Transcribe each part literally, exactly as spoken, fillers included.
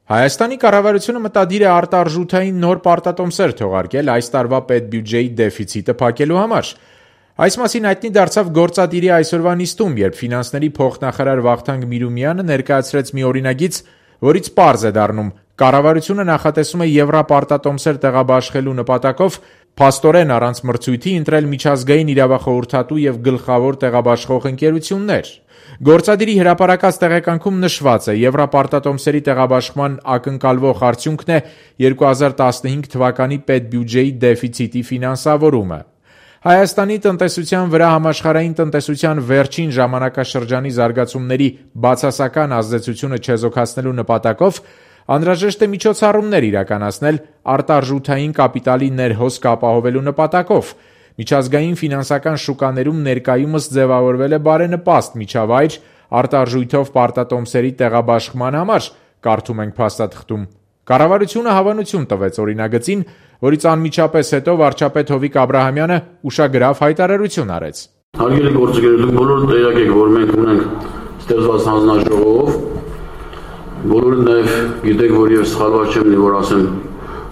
Հայաստանի կառավարությունը մտադիր է արտարժութային նոր պարտատոմսեր թողարկել այս տարվա պետբյուջեի դեֆիցիտը փակելու համար։ Այս մասին հայտնի դարձավ գործադիրի այսօրվա նիստում, երբ ֆինանսների փոխնախարար Վախթանգ Միրումյանը ներկայացրեց մի օրինագիծ, որից պարզ է դառնում, կառավարությունը նախատեսում է եվրապարտատոմսեր տեղաբաշխելու նպատակով փաստորեն առանց մրցույթի ընտրել միջազգային իրավախորհրդատու եւ գլխավոր տեղաբաշխող ընկերություններ։ Գործադիրի հրապարակած տեղեկանքում նշված է, եվրապարտատոմսերի տեղաբաշխման ակնկալվող արդյունքն է երկու հազար տասնհինգ թվականի պետբյուջեի դեֆիցիտի ֆինանսավորումը։ Հայաստանի տնտեսության վրա համաշխարհային տնտեսության վերջին ժամանակաշրջանի զարգացումների բացասական ազդեցությունը չեզոքացնելու նպատակով անհրաժեշտ է միջոցառումներ իրականացնել արտարժութային կապիտալի ներհոսք ապահովելու նպատակով։ Միջազգային ֆինանսական շուկաներում ներկայումս ձևավորվել է բարենպաստ միջավայր արտարժույթով պարտատոմսերի տեղաբաշխման համար, կարդում ենք փաստաթղթում։ Կառավարությունը հավանություն տվեց օրինագծին, որից անմիջապես հետո վարչապետ Հովիկ Աբրահամյանը ուշագրավ հայտարարություն արեց։ Հարգելի գործընկերներ, դուք բոլորը տեղյակ եք, որ մենք ունենք ստեղծված հանձնաժողով, բոլորը նաև գիտեք, որ ես սխալված չեմ, որ ասեմ,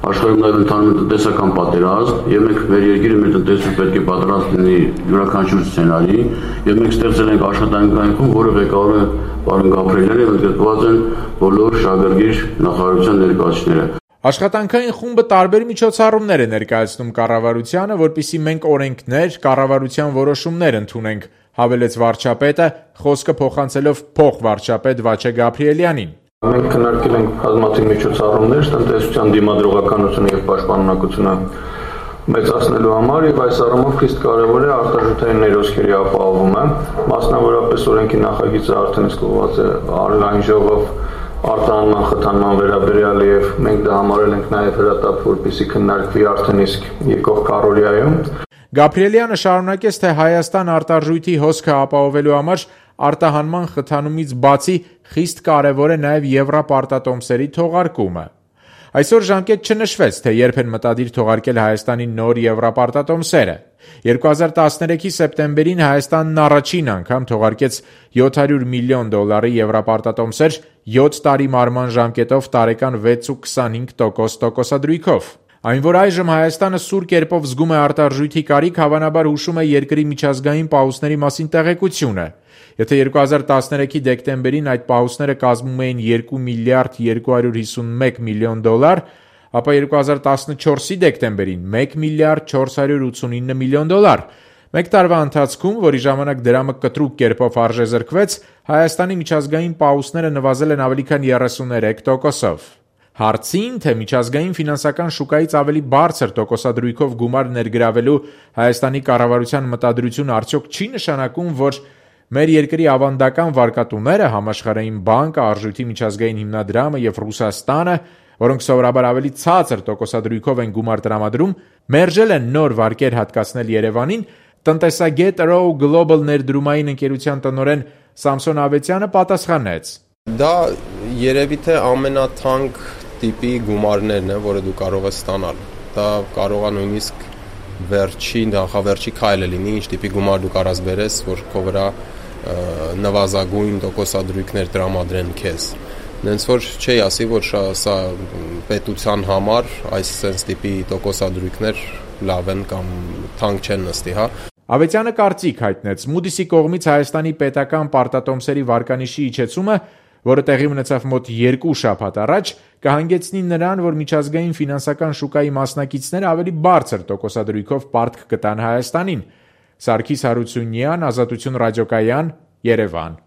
աշխարհում նաև ընթանում է տնտեսական պատերազմ, եւ մենք մեր երկիրը մեր տնտեսությունը պետք է պատրաստ լինի յուրաքանչյուր սցենարի, եւ մենք ստեղծել ենք աշխատանքային խումբ, որը ղեկավարում է պարոն Գաբրիելյանը, եւ ընդգրկված են բոլոր շահագրգիռ նախարարության ներկայացուցիչները։ Աշխատանքային խումբը տարբեր միջոցառումներ է ներկայացնում կառավարությանը, որպեսզի մենք օրենքներ, կառավարության որոշումներ ընդունենք, հավելեց վարչապետը, խոսքը փոխանցելով փոխվարչապետ Վաչե Գաբրիելյանին։ Մենք քննարկել ենք բազմաթիվ միջոցառումներ տնտեսության դիմադրողականությունը եւ պաշտպանունակությունը մեծացնելու համար եւ այս առումով խիստ կարեւոր է արտարժութային ներոսքերի ապահովումը, մասնավորապես օրենքի նախագիծը արդեն իսկ ուղղված է Արժանային ժողով արտահանման խթանման վերաբերյալ եւ մենք դա համարել ենք նաեւ հրատապ, որպեսզի քննարկվի արդեն իսկ եկող քառօրյայում։ Գաբրիելյանը շարունակեց, թե Հայաստան արտարժույթի հոսքը ապահովելու համար արտահանման խթանումից բացի խիստ կարևոր է նաև եվրապարտատոմսերի թողարկումը։ Այսօր ժամկետ չնշվեց, թե երբ են մտադիր թողարկել Հայաստանի նոր եվրապարտատոմսերը։ երկու հազար տասներեքի սեպտեմբերին Հայաստանն առաջին անգամ թողարկեց յոթ հարյուր միլիոն դոլարի եվրապարտատոմսեր յոթ տարի մարման ժամկետով տարեկան վեց ու քսանհինգ տոկոս տոկոսադրույքով։ Այն, որ այժմ Հայաստանը սուր կերպով զգում է արտարժույթի կարիք, հավանաբար հուշում է երկրի միջազգային պահուստների մասին տեղեկությունը։ Եթե երկու հազար տասներեքի դեկտեմբերին այդ պահուստները կազմում էին երկու միլիարդ երկու հարյուր հիսունմեկ միլիոն դոլար, ապա երկու հազար տասնչորսի դեկտեմբերին մեկ միլիարդ չորս հարյուր ութսունինը միլիոն դոլար։ Մեկ տարվա ընթացքում, որի ժամանակ դրամը կտրուկ կերպով արժեզրկվեց, Հայաստանի միջազգային պահուստները նվազել են ավելի քան երեսուներեք տոկոսով։ Հարցին, թե միջազգային ֆինանսական շուկայից ավելի բարձր տոկոսադրույքով գումար ներգրավելու Հայաստանի կառավարության մտադրությունը արդյոք չի նշանակում, որ մեր երկրի ավանդական վարկատուները, Համաշխարհային բանկը, Արժույթի միջազգային հիմնադրամը եւ Ռուսաստանը, որոնք սովորաբար ավելի ցածր տոկոսադրույքով են գումար տրամադրում, մերժել են նոր վարկեր հատկացնել Երևանին, տնտեսագետ Row Global ներդրումային ընկերության տնօրեն Սամսոն Ավետյանը պատասխանեց. Դա երևի թե ամենաթանկ տիպի գումարներն է, որը դու կարող ես ստանալ։ Դա կարող է նույնիսկ վերջի, նախավերջի քայլը լինի, ինչ տիպի գումար դու կարաս բերես, որ քո վրա նվազագույն տոկոսադրույքներ տրամադրեն քեզ։ Նենց որ չի ասի, որ սա պետության համար այս sense տիպի տոկոսադրույքներ լավ են կամ թանկ չեն նստի, հա։ Ավետյանը կարծիք հայտնեց Moody's-ի կողմից Հայաստանի պետական պարտատոմսերի վարկանիշի իջեցումը, որը տեղի ունեցավ մոտ երկու շաբաթ առաջ, կհանգեցնի նրան, որ միջազգային ֆինանսական շուկայի մասնակիցները ավելի բարձր տոկոսադրույքով պարտք կտան Հայաստանին։ Սարգիս Հարությունյան, Ազատություն ռադիոկայան, Երևան։